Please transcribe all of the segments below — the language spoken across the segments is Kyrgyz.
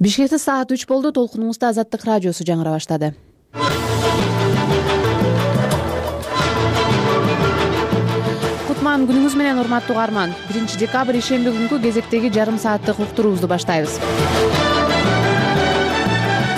Бишкекте саат 3 болду. Толкунуңузда Азаттык радиосу жаңыра баштады. Кутман күнүңүз менен, урматтуу угарман. 1 декабрь ишемби күнкү кезектеги жарым сааттык уктуруубузду баштайбыз.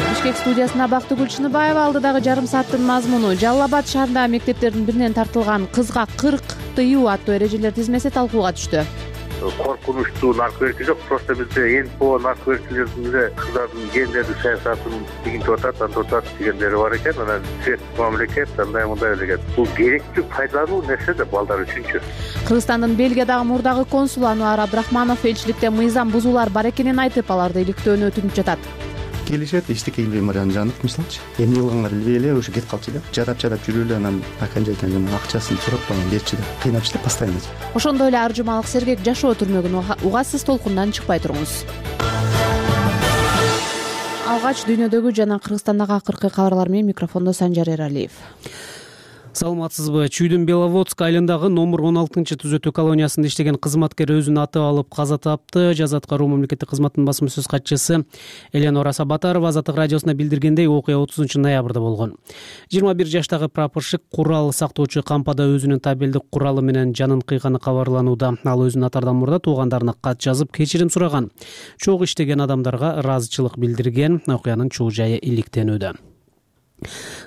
Бишкек студиясында Бактыгүл Чыныбаева. Алдыдагы жарым сааттын мазмуну: Жалал Абад шаарындагы мектептердин биринен тартылган кызга 40 тыюу аттуу эрежелер тизмеси талкууга түштү. Коркунучтуу наркы жок, просто бизде НПО наркы кыздардын гендердик саясатын тигинтип атат, антип атат дегендери бар экен. Анан светтик мамлекет андай мындай деген. Бул керектүү, пайдалуу нерсе да балдар үчүнчү. Кыргызстандын Бельгиядагы мурдагы консулу Ануар Абдрахманов элчиликте мыйзам бузуулар бар экенин айтып, аларды иликтөөнү өтүнүп жатат. Келишет, эчтеке илбей жанып, мисалчы. Эми жылгаңар илбей эле ушу кетип калчу деп, жарап жүрүп эле, анан окончательно жана акчасын сурап анан берчи деп кыйнапчы деп постоянно. Ошондой эле Аржумалык Сергек жашоо түрмөгүн угасыз, толкундан чыкпай туруңуз. Алгач дүйнөдөгү жана Кыргызстандагы акыркы кабарлар менен микрофондо Санжар Эралиев. Саламатсызбы? Чүйдүн Беловодск айылындагы номер 16-түзөтүү колониясында иштеген кызматкер өзүн аты алып каза тапты. Жазат Каруу мамлекеттик кызматтын басма сөз катчысы Эленора Сабатарова Азаттык радиосуна билдиргендей, окуя 30 ноябрда болгон. 21 жаштагы прапорщик курал сактоочу кампада өзүнүн табелдик куралы менен жанын кыйганы кабарланууда. Ал өзүн атаардан мурда туугандарына кат жазып, кечирим сураган. Чогуу иштеген адамдарга ыраазычылык билдирген. Окуянын чоо жайы иликтенүүдө.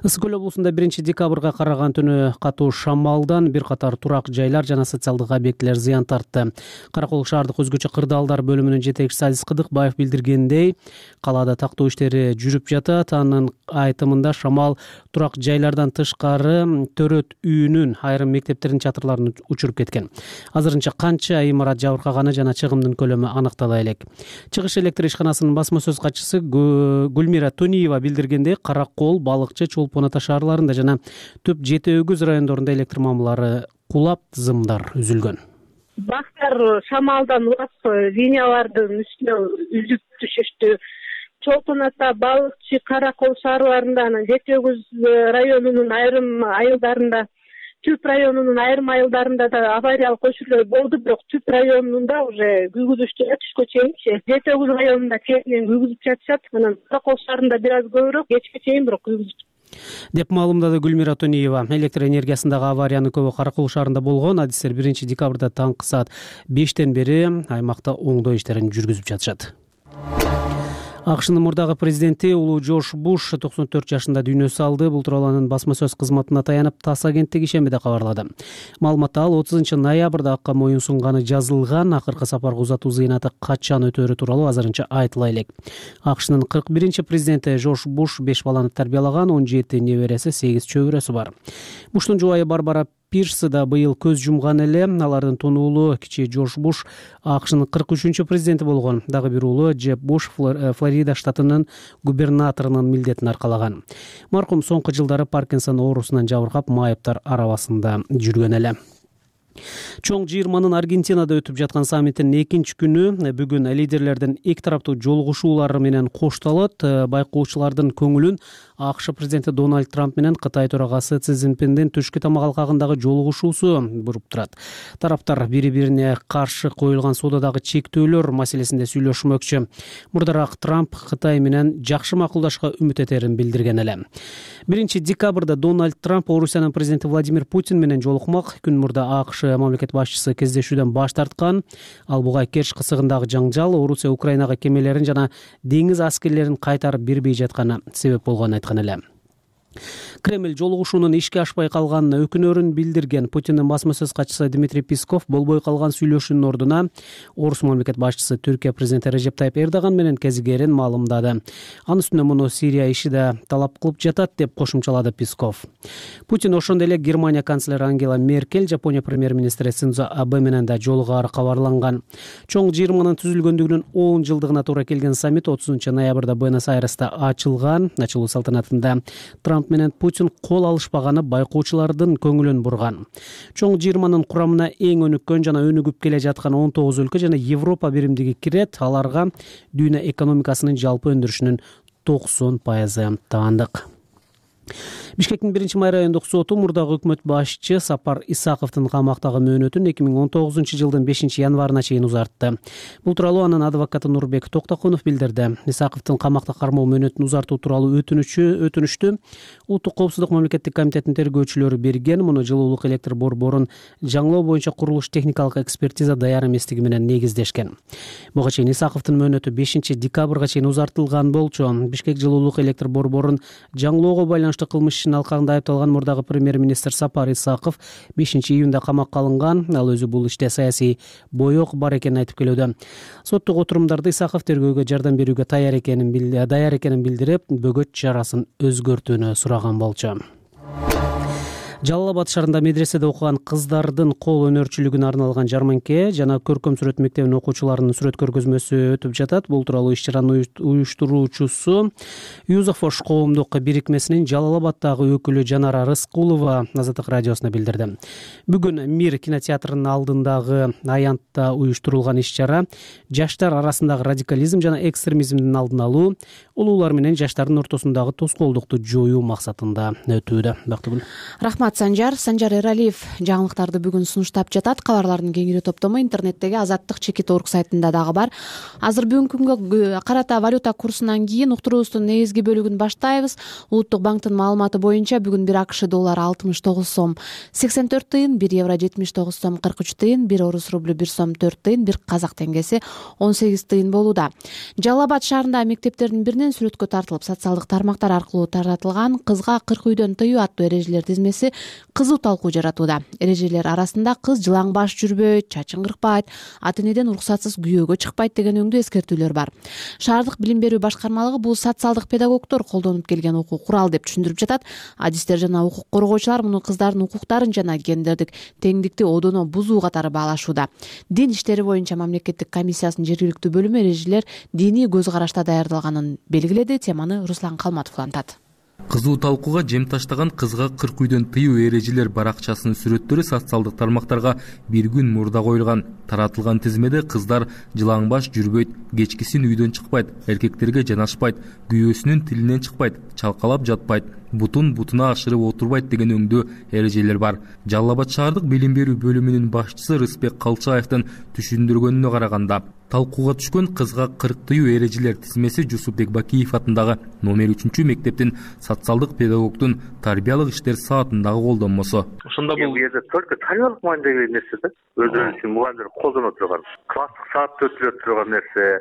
Ысык көл облусунда 1 декабрга караган түнү катуу шамалдан бир катар турак жайлар жана социалдык объектилер зыян тартты. Каракол шаардык өзгөчө кырдаалдар бөлүмүнүн жетекчиси Азиз Кыдыкбаев билдиргендей, калаада тактоо иштери жүрүп жатат. Анын айтымында шамал турак жайлардан тышкары Төрөт үйүнүн айрым мектептердин чатырларын учуруп кеткен. Азырынча канча имарат жабыркаганы жана чыгымдын көлөмү аныктала элек. Чыгыш электр ишканасынын басма сөз катчысы Гүлмира Тониева билдиргендей, Каракол, Балыкчы, Чолпон Ата шаарларында жана Төп Жети Өгүз райондорунда электр мамылары кулап, тызымдар үзүлгөн. Бактар шамалдан улап линиялардын үстүнө үзүп түшүштү. Чолпон Ата, Балыкчы, Каракол шаарларында, анан Жети Өгүз районунун айрым айылдарында, Түп районунун айрым айылдарында да авариялык өчүрлөр болду, бирок Түп районунда уже күйгүзүштөр түшкө чейинчи. Жети Өгүз районунда кечинен күйгүзүп жатышат, анан Каракол шаарында бир аз көбүрөөк, кечке чейин бирок күйгүзүп деп маалымдады Гүлмира Тониева. Электр энергиясындагы авариянын көбү Каракол шаарында болгон. Адистер 1 декабрда таңкы саат 5тен бери аймакта оңдоо иштерин жүргүзүп жатышат. АКШнын мурдагы президенти улуу Жорж Буш 94 жашында дүйнө салды. Бул тууралуу анын басма сөз кызматына таянып, ТАСС агенттиги ишембиде кабарлады. Маалыматта ал 30 ноябрда акка моюн сунганы жазылган. Акыркы сапарга узатуу зыйнаты качан өтөөрү тууралуу азырынча айтыла элек. АКШнын 41 президенти Жорж Буш 5 баланы тарбиялаган, 17 небереси, 8 чөбүрөсү бар. Буштун жубайы Барбара Пирс да быйыл көз жумган эле. Алардын тун уулу кичи Жорж Буш АКШнын 43 президенти болгон. Дагы бир уулу Джеб Буш Флорида штатынын губернаторунун милдетин аркалаган. Маркум соңку жылдары Паркинсон оорусунан жабыркап, майыптар арабасында жүргөн эле. Чоң жыйырманын Аргентинада өтүп жаткан саммиттин 2 күнү бүгүн лидерлердин эки тараптуу жолугушуулары менен коштолот. Байкоочулардын көңүлүн АКШ президенти Дональд Трамп менен Кытай төрагасы Си Цзиньпиндин түшкү тамак алкагындагы жолугушуусу буруп турат. Тараптар бири-бирине каршы коюлган соодадагы чектөөлөр маселесинде сүйлөшмөкчү. Мурдараак Трамп Кытай менен жакшы макулдашка үмүт этерин билдирген эле. 1 декабрда Дональд Трамп Орусиянын президенти Владимир Путин менен жолукмак. Күн мурда АКШ мамлекет башчысы кездешүүдөн баш тарткан. Ал буга Керч кысыгындагы жаңжал, Орусия Украинага кемелерин жана деңиз аскерлерин кайтарып бербей жатканы себеп болгонун айткан эле. Кремль жолугушуунун ишке ашпай калганына өкүнөрүн билдирген. Путиндин басма сөз катчысы Дмитрий Песков болбой калган сүйлөшүүнүн ордуна Орус мамлекет башчысы Түркия президенти Режеп Тайып Эрдоган менен кезигерин маалымдады. Анын үстүнө муну Сирия иши да талап кылып жатат деп кошумчалады Песков. Путин ошондой эле Германия канцлери Ангела Меркель, Жапония премьер-министри Синдзо Абе менен да жолугаары кабарланган. Чоң жыйырманын түзүлгөндүгүнүн 10 жылдыгына туура келген саммит 30 ноябрда Буэнос-Айресте ачылган. Ачылуу салтанатында Трамп менен Путин кол алышпаганы байкоочулардын көңүлүн бурган. Чоң жыйырманын курамына эң өнүккөн жана өнүгүп келе жаткан 19 өлкө жана Европа биримдиги кирет. Аларга дүйнө экономикасынын жалпы өндүрүшүнүн 90% таандык. Бишкектин 1-май райондук соту мурдагы өкмөт башчы Сапар Исаковдун камактагы мөөнөтүн 2019-жылдын 5-январына чейин узартты. Бул тууралуу анын адвокаты Нурбек Токтокунов билдирди. Исаковдун камакта кармоо мөөнөтүн узартуу тууралуу өтүнүштү Улуттук коопсуздук мамлекеттик комитетинин тергөөчүлөрү берген. Муну жылуулук электр борборун жаңылоо боюнча курулуш техникалык экспертиза даяр эместиги менен негиздешкен. Буга чейин Исаковдун мөөнөтү 5-декабрга чейин узартылган болчу. Бишкек жылуулук электр борборун жаңылоого байланыштуу кылмыш ишин алкагында айыпталган мурдагы премьер-министр Сапар Исаков 5-июнда камакка алынган. Ал өзү бул иште саясий боек бар экенин айтып келүүдө. Соттук отурумдарда Исаков тергөөгө жардам берүүгө даяр экенин билдирип, бөгөт чарасын өзгөртүүнү сураган болчу. Жалал Абад шаарында медреседе окуган кыздардын кол өнөрчүлүгүнө арналган жарманке жана көркөм сүрөт мектебинин окуучуларынын сүрөт көргөзмөсү өтүп жатат. Бул тууралуу иш-чаранын уюштуруучусу Юзафош коомдук бирикмесинин Жалал Абаддагы өкүлү Жанара Рыскулова Азаттык радиосуна билдирди. Бүгүн Мир кинотеатрынын алдындагы аянтта уюштурулган иш-чара жаштар арасындагы радикализм жана экстремизмдин алдын алуу, улуулар менен жаштардын ортосундагы тоскоолдукту жоюу максатында өтүүдө. Бактыгүл. Рахмат Санжар Эралиев жаңылыктарды бүгүн сунуштап жатат. Кабарлардын кеңири топтому интернеттеги Азаттык.org сайтында дагы бар. Азыр бүгүнкү күнгө карата валюта курсунан кийин уктуруубуздун негизги бөлүгүн баштайбыз. Улуттук банктын маалыматы боюнча бүгүн 1 АКШ доллары 69 сом 84 тыйын, 1 евро 79 сом 43 тыйын, 1 орус рублю 1 сом 4 тыйын, 1 казак теңгеси 18 тыйын болууда. Жалал Абад шаарындагы мектептердин биринен сүрөткө тартылып, социалдык тармактар аркылуу таратылган кызга 40 үйдөн тыюу аттуу эрежелер тизмеси кызуу талкуу жаратууда. Эрежелер арасында кыз жылаң баш жүрбөйт, чачын кыркпайт, ата-энеден уруксатсыз күйөөгө чыкпайт деген өңдүү эскертүүлөр бар. Шаардык билим берүү башкармалыгы бул социалдык педагогдор колдонуп келген окуу курал деп түшүндүрүп жатат. Адистер жана укук коргоочулар муну кыздардын укуктарын жана гендердик теңдикти одоно бузуу катары баалашууда. Дин иштери боюнча мамлекеттик комиссиясынын жергиликтүү бөлүмү эрежелер диний көз карашта даярдалганын белгиледи. Теманы Руслан Калматов улантат. Кызуу талкууга жем таштаган кызга 40 үйдөн тыюу эрежелер баракчасынын сүрөттөрү социалдык тармактарга бир күн мурда коюлган. Таратылган тизмеде кыздар жылаң баш жүрбөйт, кечкисин үйдөн чыкпайт, эркектерге жанашпайт, күйөөсүнүн тилинен чыкпайт, чалкалап жатпайт, бутуна ашырып отурбайт деген өңдүү эрежелер бар. Жалал Абад шаардык билим берүү бөлүмүнүн башчысы Рыспек Калчаевдин түшүндүргөнүнө караганда, талкууга түшкөн кызга 40 тыюу эрежелер тизмеси Жусупбек Бакиев атындагы номер 3 мектептин социалдык педагогдун тарбиялык иштер саатындагы колдонмосу. Ошондо бул жерде только тарбиялык мааниде нерсе да. Өздөрү үчүн мугалимдер колдоно турган, класстык саатта өтүлө турган нерсе.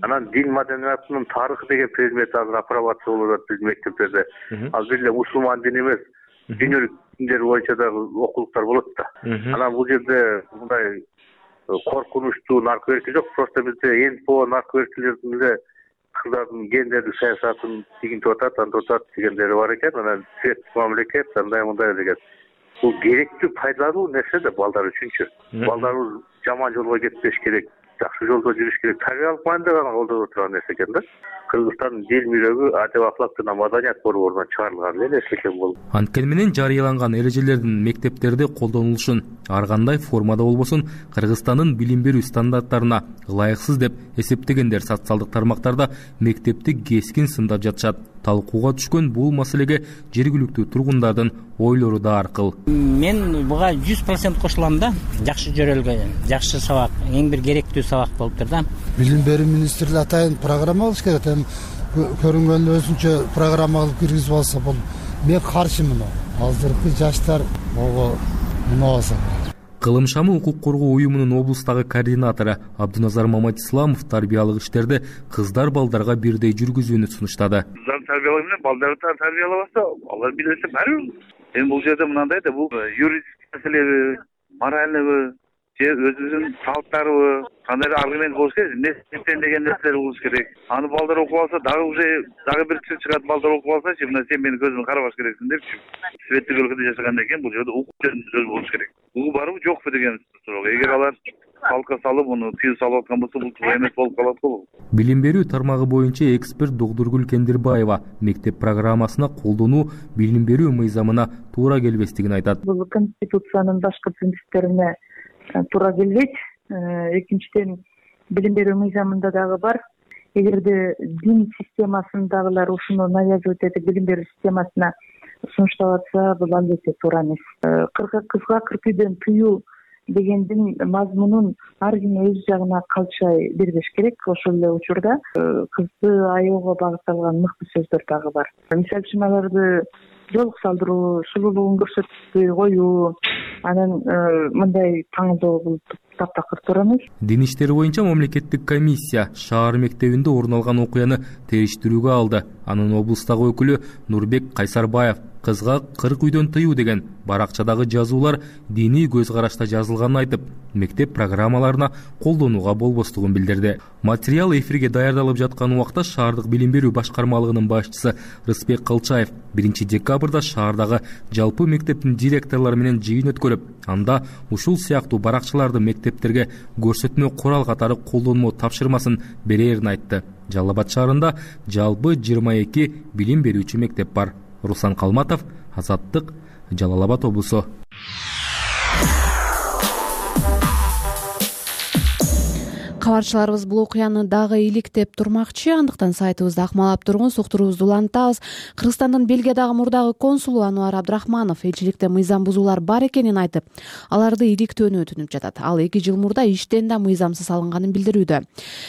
Анан дин маданиятынын тарыхы деген предмет азыр апробация болуп атат биздин мектептерде. Ал бир эле мусулман дини эмес, дүйнөлүк диндер боюнча дагы окулуктар болот да. Анан бул жерде мындай коркунучтуу наркоерки жок. Просто бизде НПО наркоеркилердин эле кыздардын гендердик саясатын тигинтип атат, антып атат дегендери бар экен. Анан светтик мамлекет андай мындай деген. Бул керектүү, пайдалуу нерсе да балдар үчүнчү. Балдарыбыз жаман жолго кетпеш керек, жакшы жолдо жүрүш керек. Тарбиялык мааниде гана колдонуп турган нерсе экен да. Кыргызстандын дил мирөгү адеп ахлак жана маданият борборунан чыгарылган эле нерсе экен бул. Анткени менен жарыяланган эрежелердин мектептерде колдонулушун ар кандай формада болбосун Кыргызстандын билим берүү стандарттарына ылайыксыз деп эсептегендер социалдык тармактарда мектепти кескин сындап жатышат. Талкууга түшкөн бул маселеге жергиликтүү тургундардын ойлору да аркыл. Мен буга 100% кошулам да. Жакшы жөрөлгө, жакшы сабак, эң бир керектүү сабак болуптур да. Билим берүү министрлиги атайын программа алыш керек. Көрүнгөн өзүнчө программа алып киргизип алса болот. Мен каршымын. Азыркы жаштар ого мунабаса. Кылым шамы укук коргоо уюмунун облустагы координатору Абдуназар Маматисламов тарбиялык иштерди кыздар балдарга бирдей жүргүзүүнү сунуштады. Кыздар тарбиялоо менен балдарды тарбиялабаса, алар билесе баары. Эми бул жерде мынандай да, бул юридический маселеби, моральныйбы, же өзүбүздүн салттарыбы, кандай аргумент болуш керек, эмне деген нерселер болуш керек. Аны балдар окуп алса, дагы бир киши чыгат, балдар окуп алсачы, мына сен менин көзүмө карабаш керексиң депчи. Светтик өлкөдө жашагандан кийин бул жерде укук сөз болуш керек. Бул барбы жокпу деген суроо. Эгер алар салка салып, муну тыюу салып аткан болсо, бул туура эмес болуп калат го. Билим берүү тармагы боюнча эксперт Догдургүл Кендирбаева мектеп программасына колдонуу билим берүү мыйзамына туура келбестигин айтат. Бул конституциянын башкы принциптерине туура келбейт. Экинчиден, билим берүү мыйзамында дагы бар. Эгерде дин системасындагылар ушуну навязывать этип билим берүү системасына сунуштап атса, бул албетте туура эмес. Кызга кырк үйдөн тыюу дегендин мазмунун ар ким өз жагына калчай бербеш керек. Ошол эле учурда кызды аяоого багытталган мыкты сөздөр дагы бар. Мисалы үчүн аларды жолук салдыруу, сулуулугун көрсөтпөй коюу, анан мындай таңдоо бул таптакыр туура эмес. Дин иштери боюнча мамлекеттик комиссия шаар мектебинде орун алган окуяны териштирүүгө алды. Анын облустагы өкүлү Нурбек Кайсарбаев кызга 40 үйдөн тыюу деген баракчадагы жазуулар диний көз карашта жазылганын айтып, мектеп программаларына колдонууга болбостугун билдирди. Материал эфирге даярдалып жаткан убакта шаардык билим берүү башкармалыгынын башчысы Рыспек Кылчаев 1 декабрда шаардагы жалпы мектептин директорлору менен жыйын өткөрүп, анда ушул сыяктуу баракчаларды мектептерге көрсөтмө курал катары колдонмо тапшырмасын берерин айтты. Жалал Абад шаарында жалпы 22 билим берүүчү мектеп бар. Руслан Калматов, Азаттык, Жалал Абад облусу. Кабарчыларыбыз бул окуяны дагы иликтеп турмакчы, андыктан сайтыбызды акмалап туруңуз, уктуруубузду улантабыз. Кыргызстандын Бельгиядагы мурдагы консулу Ануар Абдрахманов элчиликте мыйзам бузуулар бар экенин айтып, аларды иликтөөнү өтүнүп жатат. Ал 2 жыл мурда иштен да мыйзамсыз алынганын билдирүүдө.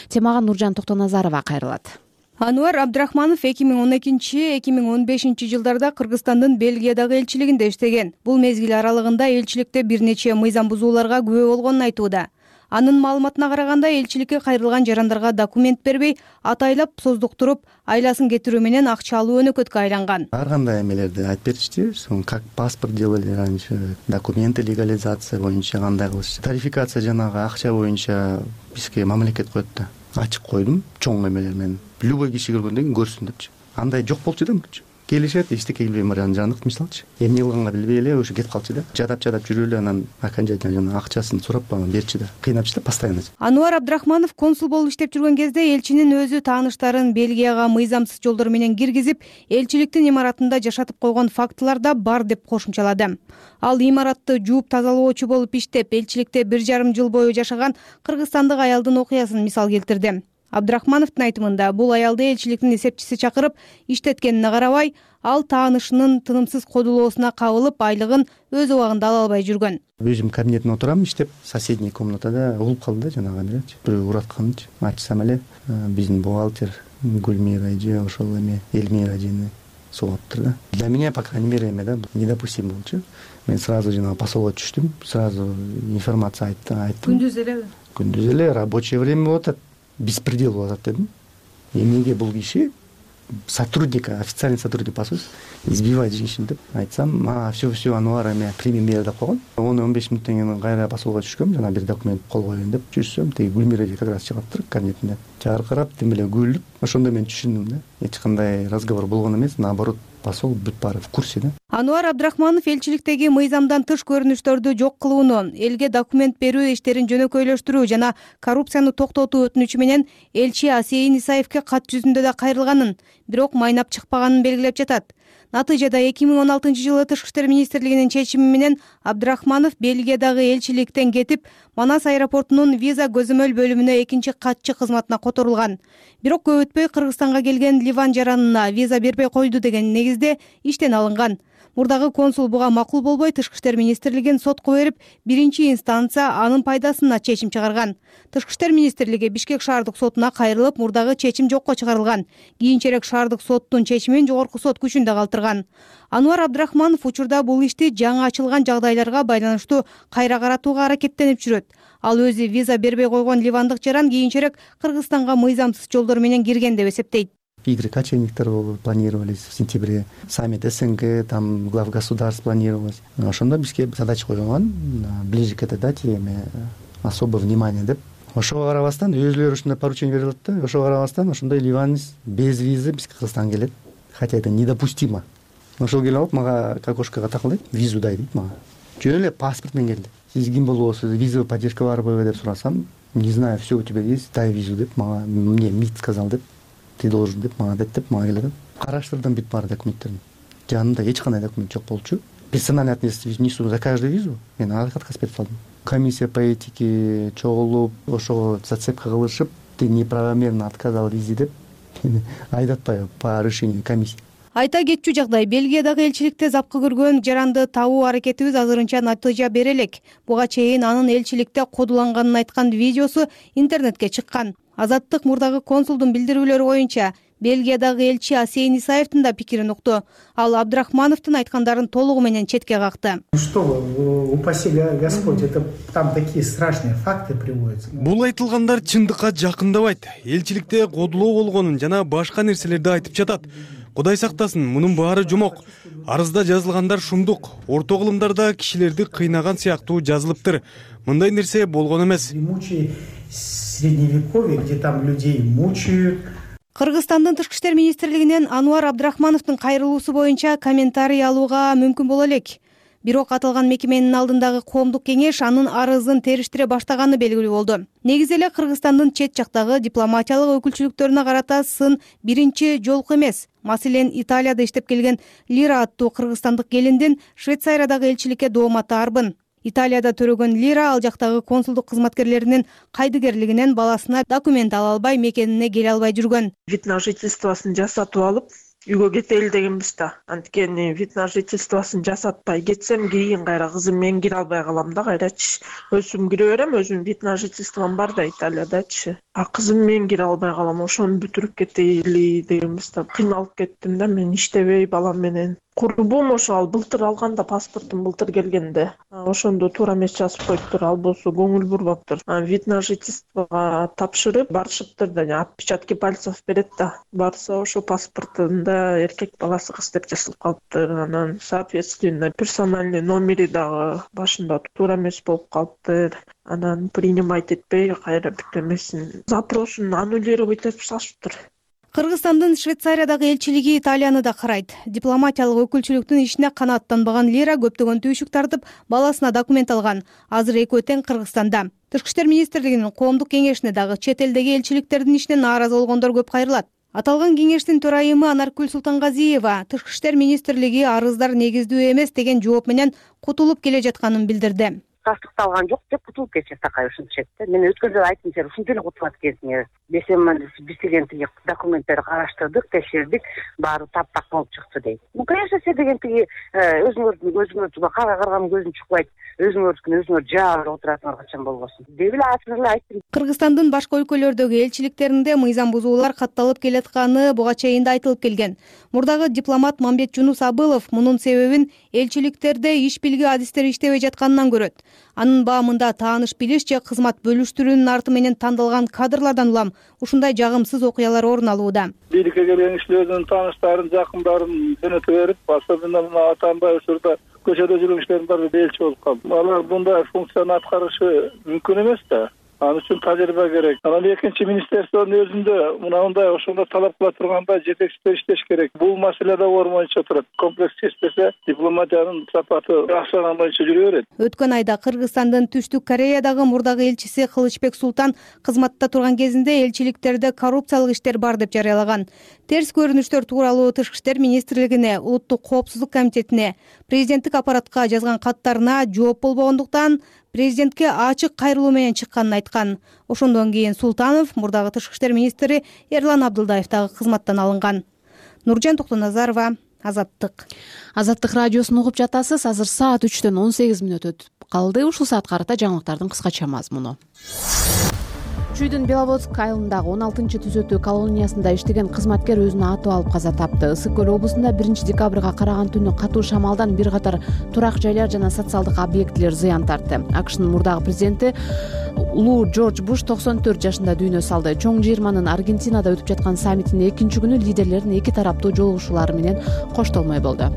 Темага Нуржан Токтоназарова кайрылат. Ануар Абдрахманов 2012-2015 жылдарда Кыргызстандын Бельгиядагы элчилигинде иштеген. Бул мезгил аралыгында элчиликте бир нече мыйзам бузууларга күбө болгонун айтууда. Анын маалыматына караганда элчиликке кайрылган жарандарга документ бербей, атайлап создуктуруп, айласын кетирүү менен акча алуу өнөкөткө айланган. Ар кандай эмелерди айтып беришти, как паспорт делали раньше, документы легализация боюнча кандай кылышты. Тарификация жанагы акча боюнча бизге мамлекет коет да. Ачык койдум, чоң эмелер менен. Любой киши көргөндөн кийин көрсүн депчи. Андай жок болчу да мурчу. Келишет, эчтеке билбей Марияны жандык мисалчы. Эмне кылганга билбей эле ошо кетип калчу да. Жадап жүрүп эле анан окончательно жана акчасын сурап берчи да. Кыйнапчы да постоянно. Ануар Абдрахманов консул болуп иштеп жүргөн кезде элчинин өзү тааныштарын Бельгияга мыйзамсыз жолдор менен киргизип, элчиликтин имаратында жашатып койгон фактылар да бар деп кошумчалады. Ал имаратты жууп тазалоочу болуп иштеп, элчиликте 1,5 жыл бою жашаган кыргызстандык аялдын окуясын мисал келтирди. Абдрахмановдун айтымында, бул аялды элчиликтин эсепчиси чакырып иштеткенине карабай, ал таанышынын тынымсыз кодулоосуна кабылып, айлыгын өз убагында ала албай жүргөн. Өзүм кабинетте отурам иштеп, соседний комнатада угулуп калды да жанагы эмелечи. Бирөө уратканчы. Ачсам эле биздин бухгалтер Гүлмира эже ошол эме Элмира эжени согуптур да. Для меня, по крайней мере, эме да недопустим болчу. Мен сразу жанагы посолго түштүм, сразу информация айттым. Күндүз элеби? Күндүз эле рабочее время болуп атат. Беспредел болуп атат дедим. Эмнеге бул киши сотрудника, официальный сотрудник посольства избивает женщин деп айтсам, все Ануар эме прими мера деп койгон. 10-15 минуттан кийин кайра посолго түшкөм, жана бир документ кол коеюн деп жүрсөм, теги Гүлмира эже как раз чыгаптыр кабинетинде. Жаркырап, тим эле күлүп, ошондо мен түшүндүм да. Эч кандай разговор болгон эмес, наоборот, посол бүт баары в курсе да. Ануар Абдрахманов элчиликтеги мыйзамдан тыш көрүнүштөрдү жок кылууну, элге документ берүү иштерин жөнөкөйлөштүрүү жана коррупцияны токтотуу өтүнүчү менен элчи Асейин Исаевке кат жүзүндө да кайрылганын, бирок майнап чыкпаганын белгилеп жатат. Натыйжада 2016-жылы Тышкы иштер министрлигинин чечими менен Абдрахманов Бельгиядагы элчиликтен кетип, Манас аэропортунун виза көзөмөл бөлүмүнө экинчи катчы кызматына которулган. Бирок көп өтпөй Кыргызстанга келген Ливан жаранына виза бербей койду деген негизде иштен алынган. Мурдагы консул буга макул болбой Тышкы иштер министрлигин сотко берип, 1-инстанция анын пайдасына чечим чыгарган. Тышкы иштер министрлиги Бишкек шаардык сотуна кайрылып, мурдагы чечим жокко чыгарылган. Кийинчерээк шаардык соттун чечимин жогорку сот күчүндө калтырган. Ануар Абдрахманов учурда бул ишти жаңы ачылган жагдайларга байланыштуу кайра каратууга аракеттенип жүрөт. Ал өзү виза бербей койгон ливандык жаран кийинчерээк Кыргызстанга мыйзамсыз жолдор менен кирген деп эсептейт. Игры кочевниктер планировались в сентябре, саммит СНГ, там глав государств планировалось. Ошондо бизге задача койгон, ближе к этой дате особое внимание деп. Ошого карабастан өзүлөрү ушундай поручение берип атат да. Ошого карабастан ошондой ливанец без визы бизге Кыргызстанга келет. Хотя это недопустимо. Ошол келип алып мага к окошкого такылдайт, визу дай дейт мага. Жөн эле паспорт менен келди. Сиз ким болосуз, визовый поддержка барбы деп сурасам, не знаю, все у тебя есть, дай визу деп мага, мне МИД сказал деп. Ты должен деп мага деп мага келет. Караштырдым бүт баары документтерин. Жанында эч кандай документ жок болчу. Персональный ответственность несу за каждую визу. Мен отказ берип калдым. Комиссия по этике чогулуп, ошого зацепка кылышып, ты неправомерно отказал визе деп айдатпай по решению комиссии. Айта кетчү жагдай, Бельгиядагы элчиликте запкы көргөн жаранды табуу аракетибиз азырынча натыйжа бере элек. Буга чейин анын элчиликте кодуланганын айткан видеосу интернетке чыккан. Азаттык мурдагы консулдун билдирүүлөрү боюнча Бельгиядагы элчи Асейин Исаевдин да пикирин укту. Ал Абдрахмановдун айткандарын толугу менен четке какты. Что вы, упаси Господь, это там такие страшные факты приводятся. Бул айтылгандар чындыкка жакындабайт. Элчиликте кодулоо болгонун жана башка нерселерди айтып жатат. Кудай сактасын, мунун баары жомок. Арызда жазылгандар шумдук. Орто кылымдарда кишилерди кыйнаган сыяктуу жазылыптыр. Мындай нерсе болгон эмес. Средневековье, где там людей мучают. Кыргызстандын Тышкы иштер министрлигинен Ануар Абдрахмановдун кайрылуусу боюнча комментарий алууга мүмкүн боло элек. Бирок аталган мекеменин алдындагы коомдук кеңеш анын арызын териштире баштаганы белгилүү болду. Негизи эле Кыргызстандын чет жактагы дипломатиялык өкүлчүлүктөрүнө карата сын биринчи жолку эмес. Маселен, Италияда иштеп келген Лира аттуу кыргызстандык келиндин Швейцариядагы элчиликке дооматы арбын. Италияда төрөгөн Лира ал жактагы консулдук кызматкерлеринин кайдыгерлигинен баласына документ ала албай, мекенине келе албай жүргөн. Вид на жительствосын жасатып алып, үйгө кетели дегенбиз да. Анткени вид на жительствосын жасатпай кетсем, кийин кайра кызым менен кире албай калам да, кайрачы. Өзүм кире берем, өзүм вид на жительством бар да Италиядачы. А кызым менен кире албай калам, ошону бүтүрүп кетели дегенбиз да. Кыйналып кеттим да, мен иштебей балам менен. Курбум ошо ал былтыр алганда, паспортум былтыр келгенде. Ошондо туура эмес жазып коюптур, ал болсо көңүл бурбаптыр. Вид на жительствого тапшырып барышыптыр да, отпечатки пальцев берет да. Барса ошо паспортунда эркек баласы кыз деп жазылып калыптыр. Анан соответственно персональный номери дагы башында туура эмес болуп калыптыр. Анан принимать этпей кайра бүтөмесин запросун аннулировать этип салышыптыр. Кыргызстандын Швейцариядагы элчилиги Италияны да карайт. Дипломатиялык өкүлчүлүктүн ишине канааттанбаган Лира көптөгөн түйшүк тартып, баласына документ алган. Азыр экөө тең Кыргызстанда. Тышкы иштер министрлигинин коомдук кеңешине дагы чет элдеги элчиликтердин ишине нааразы болгондор көп кайрылат. Аталган кеңештин төрайымы Анаркүл Султангазиева Тышкы иштер министрлиги арыздар негиздүү эмес деген жооп менен кутулуп келе жатканын билдирди. Тастыкталган жок деп кутулуп кетишет такай ушунча да. Мен өткөн жолу айттым, сен ушинтип эле кутулат экенсиң. Биз деген тиги документтерди караштырдык, текшердик, баары таптак болуп чыкты дейт. Конечно, сен деген тиги өзүңөр караган көзүң чукпайт, өзүңөр жаап отурасыңар качан болбосун деп эле ачык эле айттым. Кыргызстандын башка өлкөлөрдөгү элчиликтеринде мыйзам бузуулар катталып келатканы буга чейин да айтылып келген. Мурдагы дипломат Мамбет Жунус Абылов мунун себебин элчиликтерде иш билги адистери иштебей жатканынан көрөт. Анын баамында тааныш билиш же кызмат бөлүштүрүүнүн арты менен тандалган кадрлардан улам ушундай жагымсыз окуялар орун алууда. Бийликке келген кишилердин тааныштарын, жакындарын жөнөтө берип, особенно мына Атамбай учурда көчөдө жүргөн кишилердин баары элчи болуп калды. Алар мындай функцияны аткарышы мүмкүн эмес да. Ал үчүн тажрыйба керек. Анан экинчи министрликтин өзүндө мындай ошондо талап кыла тургандай жетекчилер иштеш керек. Бул маселе да оор боюнча турат. Комплекс чечпесе дипломатиянын сапаты акчаган боюнча жүрө берет. Өткөн айда Кыргызстандын Түштүк Кореядагы мурдагы элчиси Кылычбек Султан кызматта турган кезинде элчиликтерде коррупциялык иштер бар деп жарыялаган. Терс көрүнүштөр тууралуу Тышкы иштер министрлигине, Улуттук коопсуздук комитетине, президенттик аппаратка жазган каттарына жооп болбогондуктан президентке ачык кайрылуу менен чыкканын айткан. Ошондон кийин Султанов мурдагы Тышкы иштер министри Эрлан Абдылдаев дагы кызматтан алынган. Нуржан Токтоназарова, Азаттык. Азаттык радиосун угуп жатасыз. Азыр саат 3-төн 18 мүнөт өтүп калды. Ушул саатка карата жаңылыктардын кыскача мазмуну. Чүйдүн Беловодск айылындагы 16-түзөтүү колониясында иштеген кызматкер өзүнө атып алып каза тапты. Ысык көл облусунда 1 декабрга караган түнү катуу шамалдан бир катар турак жайлар жана социалдык объектилер зыян тартты. АКШнын мурдагы президенти улуу Джордж Буш 94 жашында дүйнө салды. Чоң жыйырманын Аргентинада өтүп жаткан саммитинин экинчи күнү лидерлердин эки тараптуу жолугушуулары менен коштолмой болду.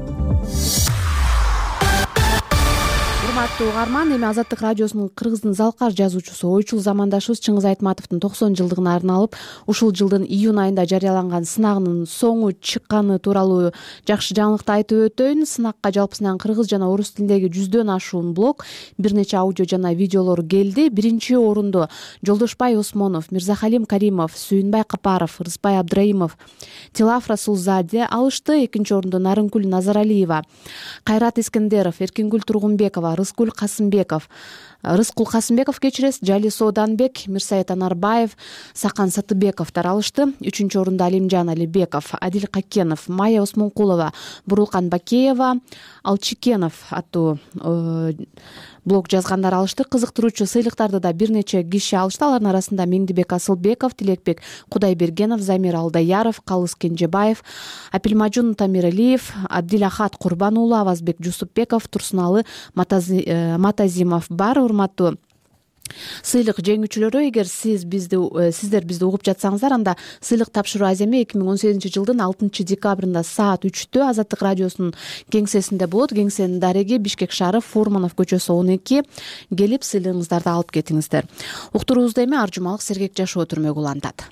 Урматтуу угарман, эми Азаттык радиосунун кыргыздын залкар жазуучусу, ойчул замандашыбыз Чыңгыз Айтматовдун 90 жылдыгына арналып, ушул жылдын июнь айында жарыяланган сынагынын соңу чыкканы тууралуу жакшы жаңылыкты айтып өтөйүн. Сынакка жалпысынан кыргыз жана орус тилиндеги 100дөн ашуун блог, бир нече аудио жана видеолор келди. Биринчи орунду Жолдошбай Осмонов, Мирзахалим Каримов, Сүйүнбай Капаров, Рыспай Абдраимов, Тилаф Расулзаде алышты. Экинчи орунду Нарынкүл Назаралиева, Кайрат Искендеров, Эркингүл Тургунбекова, Рыскүл Касымбеков, Рыскул Касымбеков кечиресиз, Жали Сооданбек, Мирсаит Анарбаев, Сакан Сатыбековдор алышты. 3-чү орунда Алимжан Алибеков, Адил Какенов, Майя Осмонкулова, Бурулкан Бакеева, Алчикенов аттуу блог жазгандар алышты. Кызыктыруучу сыйлыктарды да бир нече киши алышты. Алардын арасында Меңдибек Асылбеков, Тилекбек Кудайбергенов, Замир Алдаяров, Калыс Кенжебаев, Апилмажун Тамиралиев, Абдилахат Курбан уулу, Авазбек Жусупбеков, Турсуналы Матазимов бар. Урматтуу сыйлык жеңүүчүлөрү, эгер сиздер бизди угуп жатсаңыздар, анда сыйлык тапшыруу аземи 2018 жылдын 6 декабрында саат 3-тө Азаттык радиосунун кеңсесинде болот. Кеңсенин дареги Бишкек шаары, Фурманов көчөсү 12. Келип сыйлыгыңыздарды алып кетиңиздер. Уктуруубузда эми ар жумалык сергек жашоо түрмөгү улантат.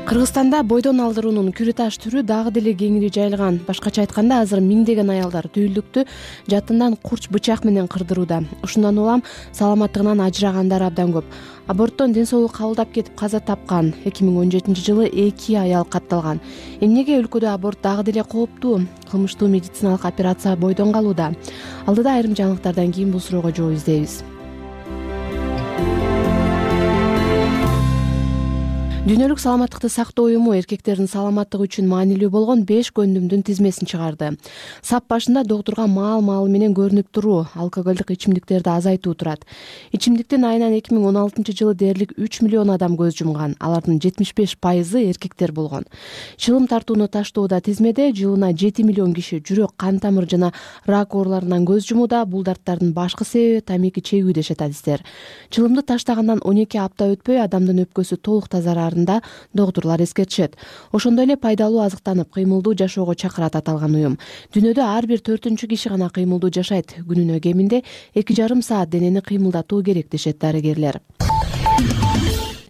Кыргызстанда бойдон алдыруунун күрү таш түрү дагы деле кеңири жайылган. Башкача айтканда, азыр миңдеген аялдар түйүлдүктү жатынан курч бычак менен кырдырууда. Ушундан улам саламаттыгынан ажырагандар абдан көп. Аборттон ден соолук кабылдап кетип каза тапкан 2017 жылы 2 аял катталган. Эмнеге өлкөдө аборт дагы деле кооптуу? Кылмыштуу медициналык операция бойдон калууда. Алдыда айрым жаңылыктардан кийин бул суроого жооп издейбиз. Дүйнөлүк саламаттыкты сактоо уюму эркектердин саламаттыгы үчүн маанилүү болгон 5 көндүмдүн тизмесин чыгарды. Сап башында доктурга маал менен көрүнүп туруу алкоголдук ичимдиктерди азайтуу турат. Ичимдиктин айынан 2016 жылы дээрлик 3 миллион адам көз жумган. Алардын 75% эркектер болгон. Чылым тартууну таштоодо тизмеде жылына 7 миллион киши жүрөк, кан тамыр жана рак ооруларынан көз жумууда. Бул дарттардын башкы себеби тамеки чегүү дешет адистер. Чылымды таштагандан 12 апта өтпөй адамдын өпкөсү толук тазарар доктурлар эскертишет. Ошондой эле пайдалуу азыктанып, кыймылдуу жашоого чакырат аталган уюм. Дүйнөдө ар бир 4-чү киши гана кыймылдуу жашайт. Күнүнө кеминде 2,5 саат денени кыймылдатуу керек дешет дарыгерлер.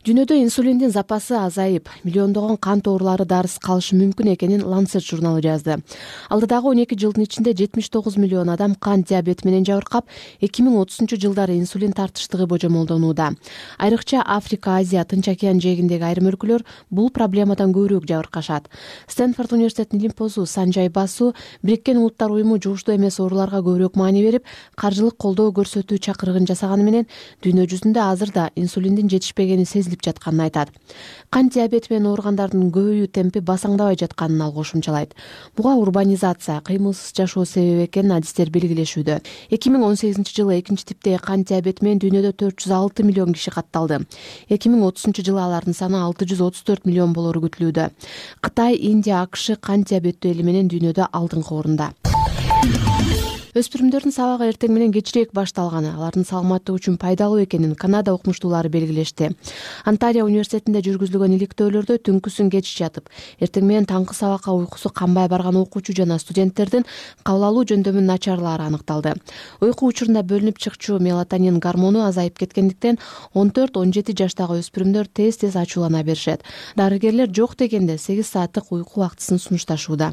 Дүйнөдө инсулиндин запасы азайып, миллиондогон кант оорулары дарысыз калышы мүмкүн экенин Lancet журналы жазды. Алдыдагы 12 жылдын ичинде 79 миллион адам кант диабети менен жабыркап, 2030 жылдары инсулин тартыштыгы божомолдонууда. Айрыкча Африка, Азия, Тынч океан жээгиндеги айрым өлкөлөр бул проблемадан көбүрөөк жабыркашат. Стэнфорд университетинин лимпозу Санжай Басу Бириккен Улуттар уюму жугуштуу эмес ооруларга көбүрөөк маани берип, каржылык колдоо көрсөтүү чакырыгын жасаганы менен дүйнө жүзүндө азырда инсулиндин жетишпегени сезилип жатканын айтат. Кант диабети менен ооругандардын көбөйүү темпи басаңдабай жатканын ал кошумчалайт. Буга урбанизация, кыймылсыз жашоо себеп экенин адистер белгилешүүдө. 2018 жылы 2-типтеги кант диабети менен дүйнөдө 406 миллион киши катталды. 2030 жылы алардын саны 634 миллион болору күтүлүүдө. Кытай, Индия, АКШ кант диабеттүү эли менен дүйнөдө алдыңкы орунда. Өспүрүмдөрдүн сабагы эртең менен кечирээк башталганы, алардын саламаттыгы үчүн пайдалуу экенин Канада окумуштуулары белгилешти. Антарио университетинде жүргүзүлгөн иликтөөлөрдө түнкүсүн кеч жатып, эртең менен таңкы сабакка уйкусу канбай барган окуучу жана студенттердин кабыл алуу жөндөмүнүн начарлаары аныкталды. Уйку учурунда бөлүнүп чыкчу мелатонин гормону азайып кеткендиктен 14-17 жаштагы өспүрүмдөр тез ачуулана беришет. Дарыгерлер жок дегенде 8 сааттык уйку убактысын сунушташууда.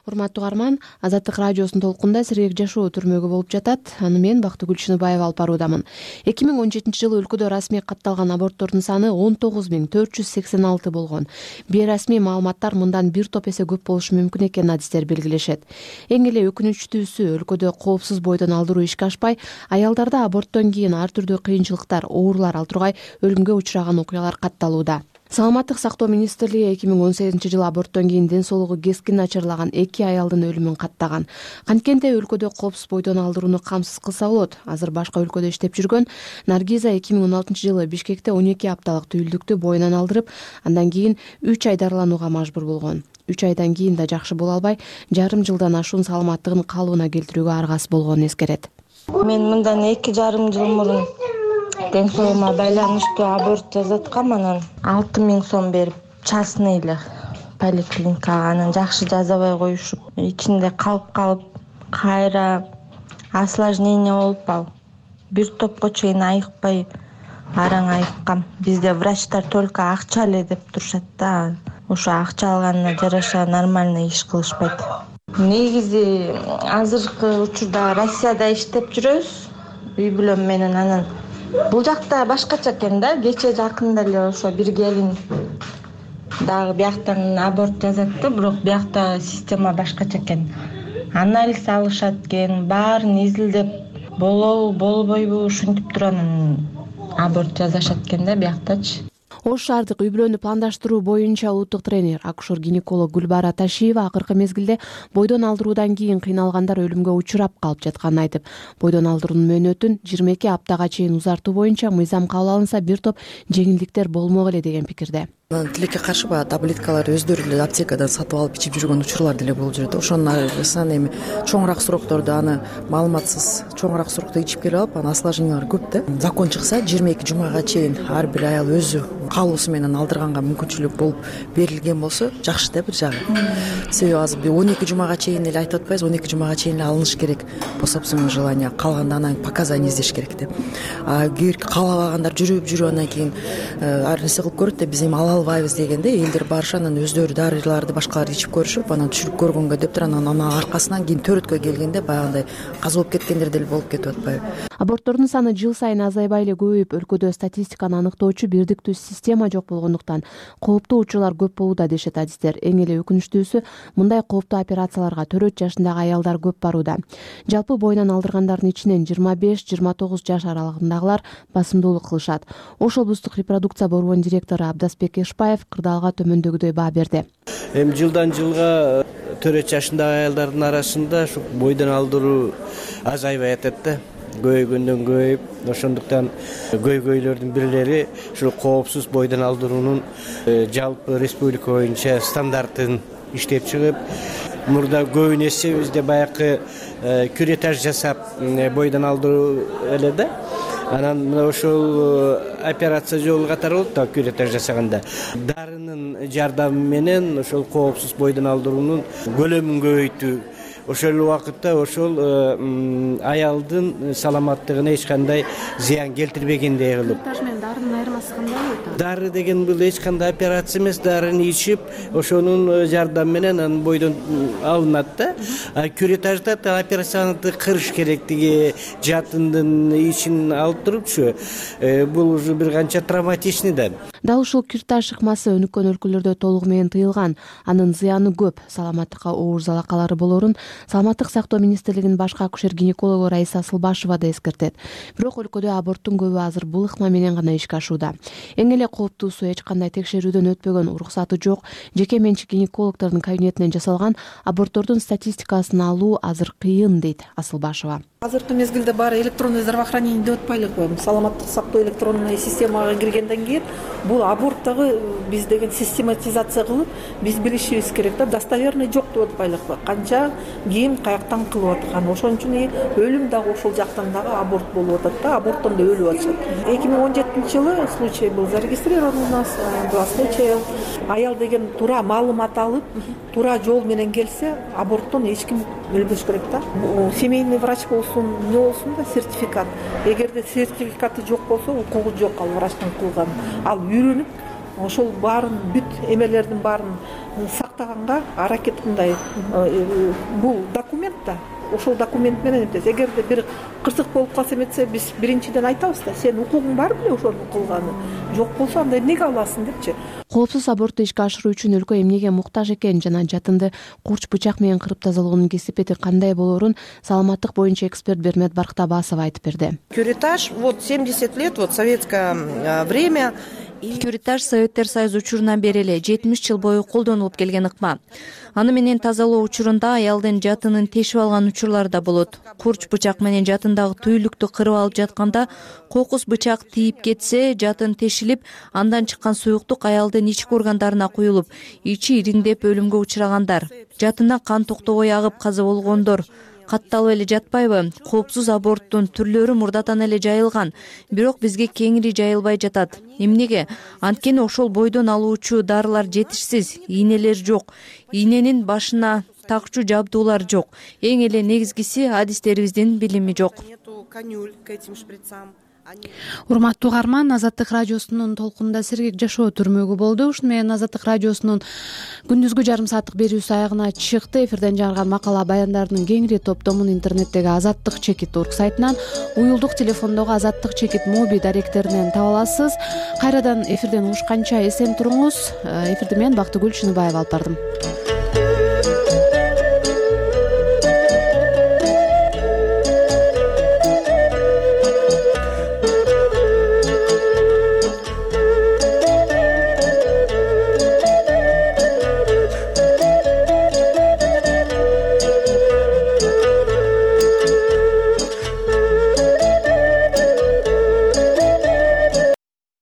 Урматтуу угарман, Азаттык радиосунун толкунда сергек жашоо түрмөгү болуп жатат. Аны мен Бактыгүл Чыныбаева алып баруудамын. 2017 жылы өлкөдө расмий катталган аборттордун саны 19.486 болгон. Бейрасмий маалыматтар мындан бир топ эсе көп болушу мүмкүн экенин адистер белгилешет. Эң эле өкүнүчтүүсү, өлкөдө коопсуз бойдон алдыруу ишке ашпай, аялдарда аборттон кийин ар түрдүү кыйынчылыктар, оорулар ал тургай өлүмгө учураган окуялар катталууда. Саламаттык сактоо министрлиги 2018 жылы аборттон кийин ден соолугу кескин начарлаган 2 аялдын өлүмүн каттаган. Канткенде өлкөдө коопсуз бойдон алдырууну камсыз кылса болот. Азыр башка өлкөдө иштеп жүргөн Наргиза 2016 жылы Бишкекте 12 апталык түйүлдүктү боюнан алдырып, андан кийин 3 ай дарыланууга мажбур болгон. 3 айдан кийин да жакшы боло албай, жарым жылдан ашуун саламаттыгын калыбына келтирүүгө аргасыз болгонун эскерет. Мен мындан 2,5 жыл мурун ден соолугума байланыштуу аборт жасаткам, анан 6.000 сом берип частныйлы поликлиникага анан жакшы жазабай коюшуп, ичинде калып кайра осложнение болуп ал бир топко чейин айыкпай араң айыккам. Бизде врачтар только акча эле деп турушат да. Ошо акча алганына жараша нормально иш кылышпайт. Негизи азыркы учурда Россияда иштеп жүрөбүз үй бүлөм менен. Анан бул жакта башкача экен да. Кече жакында эле ошо бир келин дагы бияктан аборт жасатты, бирок биякта система башкача экен. анализ алышат экен, баарын изилдеп болобу болбойбу ушинтип туруп анан аборт жасашат экен да бияктачы. Ош шаардык үй-бүлөнү пландаштыруу боюнча улуттук тренер, акушер-гинеколог Гүлбара Ташиева акыркы мезгилде бойдон алдыруудан кийин кыйналгандар өлүмгө учурап калып жатканын айтып, бойдон алдыруунун мөөнөтүн 22 аптага чейин узартуу боюнча мыйзам кабыл алынса бир топ жеңилдиктер болмок эле деген пикирде. Тилекке каршы баягы таблеткалар өздөрү эле аптекадан сатып алып ичип жүргөн учурлар деле болуп жүрөт. Ошонун арасынан эми чоңураак сурокторду аны маалыматсыз чоңураак сурокто ичип келип алып, анан осложнениялар көп да. Закон чыкса 22 жумага чейин ар бир аял өзү каалоосу менен алдырганга мүмкүнчүлүк болуп берилген болсо жакшы да бир жагы. Себеби азыр 12 жумага чейин эле айтып атпайбызбы, 12 жумага чейин эле алыныш керек по собственному желанию, калганда анан показания издеш керек деп. Кээ бир каалабагандар жүрүп анан кийин ар нерсе кылып көрөт да, биз эми ала албайбыз дегенде элдер барышып анан өздөрү дарыларды башкаларды ичип көрүшүп, анан түшүрүп көргөнгө деп туруп анан аркасынан кийин төрөткө келгенде баягындай каза болуп кеткендер деле болуп кетип атпайбы. Аборттордун саны жыл сайын азайбай эле көбөйүп, өлкөдө статистиканы аныктоочу бирдиктүү система жок болгондуктан кооптуу учурлар көп болууда дешет адистер. Эң эле өкүнүчтүүсү, мындай кооптуу операцияларга 4 жашындагы аялдар көп барууда. Жалпы бойдон алдыргандардын ичинен 25-29 жаш аралыгындагылар басымдуулук кылышат. Ош облустук репродукция борборунун директору Абдасбек Эшпаев кырдаалга төмөндөгүдөй баа берди. Эми жылдан жылга 4 жашындагы аялдардын арасында ушу бойдон алдыруу азайбай атат да. Көйгөндөн көйүп, ошондуктан көйгөйлөрдүн бирлери ушул коопсуз бойдон алдыруунун жалпы республика боюнча стандартын иштеп чыгып, мурда көбүн эсе бизде баягы кюретаж жасап бойдон алдыруу эле да. Анан мына ошол операция жолу катары болот да, кюретаж жасаганда. Дарынын жардамы менен ошол коопсуз бойдон алдыруунун көлөмүн көбөйтүү, ошол убакытта ошол аялдын саламаттыгына эч кандай зыян келтирбегендей кылып. Кюретаж менен дарынын айырмасы кандай болот? Дары деген бул эч кандай операция эмес, дарыны ичип, ошонун жардамы менен анын бойдон алынат да. Кюретажда операцияны кырыш керектиги, жатындын ичин алып турупчу. Бул уже бир канча травматичный да. Дал ушул кюретаж ыкмасы өнүккөн өлкөлөрдө толугу менен тыйылган. Анын зыяны көп, саламаттыкка оор залакалары болорун Саламаттык сактоо министрлигинин башкы акушер-гинекологу Раиса Асылбашева да эскертет. Бирок өлкөдө аборттун көбү азыр бул ыкма менен гана ишке ашууда. Эң эле кооптуусу, эч кандай текшерүүдөн өтпөгөн, уруксаты жок, жеке менчик гинекологдордун кабинетинен жасалган аборттордун статистикасын алуу азыр кыйын, дейт Асылбашева. Азыркы мезгилде баары электронный здравоохранение деп атпайлыкпы? Саламаттык сактоо электронный системага киргенден кийин бул аборттогу биз деген систематизация кылып, биз билишибиз керек да, достоверный жок деп атпайлыкпы? Канча ким каяктан кылып аткан, ошон үчүн өлүм дагы ошол жактан дагы аборт болуп атат да, аборттон да өлүп атышат. 2017-жылы случай был зарегистрирован у нас, 2 случая. Аял деген туура маалымат алып, туура жол менен келсе, аборттон эч ким өлбөш керек да. Семейный врач болсун, не болсун да, сертификат. Эгерде сертификаты жок болсо, укугу жок ал врачтын кылган. Ал үйрөнүп, ошол баарын бүт эмелердин баарын сактаганга аракет кылдай. Бул документ да. Ошол документ менен эмес. Эгерде бир кырсык болуп калса эметсе, биз биринчиден айтабыз да, сен укугуң бар беле ошону кылганы? Жок болсо анда эмнеге аласың депчи. Коопсуз абортты ишке ашыруу үчүн өлкө эмнеге муктаж экен жана жатынды курч бычак менен кырып тазалоонун кесипети кандай болоорун саламаттык боюнча эксперт Бермет Барктабасова айтып берди. Кюретаж, вот 70 лет, вот советское время. Кюретаж Советтер Союзу учурунан бери эле 70 жыл бою колдонулуп келген ыкма. Аны менен тазалоо учурунда аялдын жатынын тешип алган учурлар да болот. Курч бычак менен жатындагы түйүлүктү кырып алып жатканда кокус бычак тийип кетсе, жатын тешилип, андан чыккан суюктук аялдын ички органдарына куюлуп, ичи ириңдеп өлүмгө учурагандар. Жатындан кан токтобой агып каза болгондор. Катталып эле жатпайбы? Коопсуз аборттун түрлөрү мурдатан эле жайылган, бирок бизге кеңири жайылбай жатат. Эмнеге? Анткени ошол бойдон алуучу дарылар жетишсиз, ийнелер жок, ийненин башына такчу жабдуулар жок. Эң эле негизгиси адистерибиздин билими жок. Урматтуу угарман, Азаттык радиосунун толкунунда сергек жашоо түрмөгү болду. Ушуну менен Азаттык радиосунун күндүзгү жарым сааттык берүүсү аягына чыкты. Эфирден жарган макала баяндардын кеңири топтомун интернеттеги Азаттык чекит орг сайтынан, уюлдук телефондогу Азаттык чекит моби даректеринен таба аласыз. Кайрадан эфирден угушканча эсен туруңуз. Эфирди мен Бактыгүл Чыныбаева алып бардым.